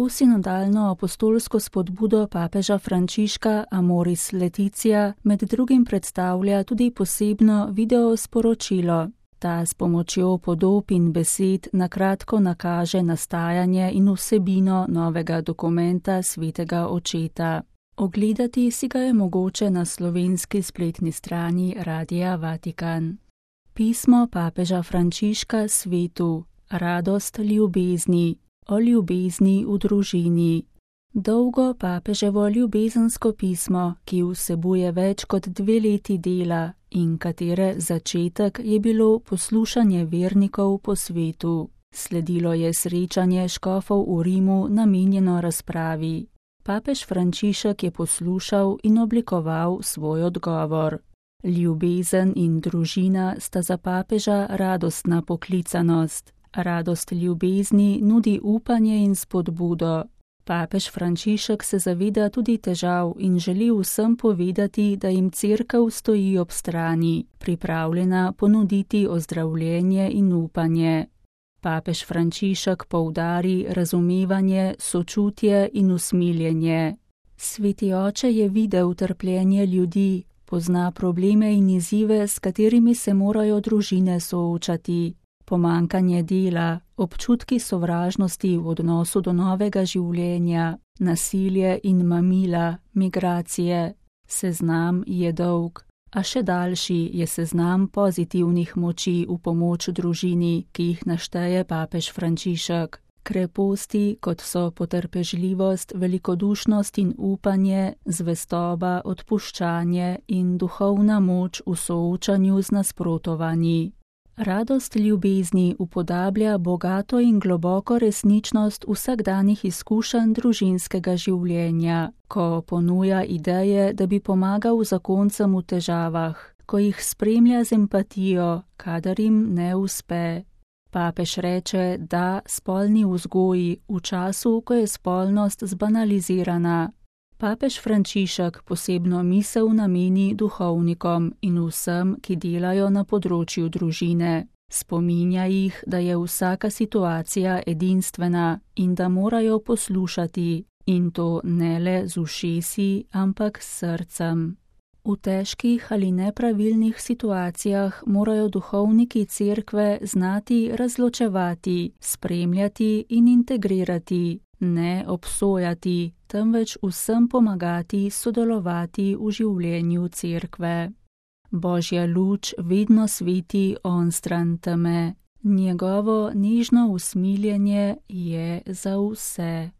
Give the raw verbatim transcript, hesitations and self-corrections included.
Posinodalno apostolsko spodbudo papeža Frančiška Amoris Laetitia med drugim predstavlja tudi posebno video sporočilo. Ta s pomočjo podob in besed na kratko nakaže nastajanje in vsebino novega dokumenta Svetega Očeta. Ogledati si ga je mogoče na slovenski spletni strani Radia Vatikan. Pismo papeža Frančiška svetu, radost ljubezni, o ljubezni v družini. Dolgo papeževo ljubezensko pismo, ki vsebuje več kot dve leti dela in katere začetek je bilo poslušanje vernikov po svetu. Sledilo je srečanje škofov v Rimu namenjeno razpravi. Papež Frančišek je poslušal in oblikoval svoj odgovor. Ljubezen in družina sta za papeža radostna poklicanost. Radost ljubezni nudi upanje in spodbudo. Papež Frančišek se zaveda tudi težav in želi vsem povedati, da jim cerkev stoji ob strani, pripravljena ponuditi ozdravljenje in upanje. Papež Frančišek poudari razumevanje, sočutje in usmiljenje. Sveti oče je videl trpljenje ljudi, pozna probleme in izzive, s katerimi se morajo družine soočati. Pomankanje dela, občutki sovražnosti v odnosu do novega življenja, nasilje in mamila, migracije. Seznam je dolg, a še daljši je seznam pozitivnih moči v pomoč družini, ki jih našteje papež Frančišek. Kreposti, kot so potrpežljivost, velikodušnost in upanje, zvestoba, odpuščanje in duhovna moč v soočanju z nasprotovanji. Radost ljubezni upodablja bogato in globoko resničnost vsakdanjih izkušenj družinskega življenja, ko ponuja ideje, da bi pomagal zakoncem v težavah, ko jih spremlja z empatijo, kadar jim ne uspe. Papež reče, da spolni vzgoji v času, ko je spolnost zbanalizirana. Papež Frančišek posebno misel nameni duhovnikom in vsem, ki delajo na področju družine. Spominja jih, da je vsaka situacija edinstvena in da morajo poslušati, in to ne le z ušesi, ampak s srcem. V težkih ali nepravilnih situacijah morajo duhovniki cerkve znati razločevati, spremljati in integrirati, ne obsojati, temveč vsem pomagati sodelovati v življenju cerkve. Božja luč vedno sveti onstran teme, njegovo nežno usmiljenje je za vse.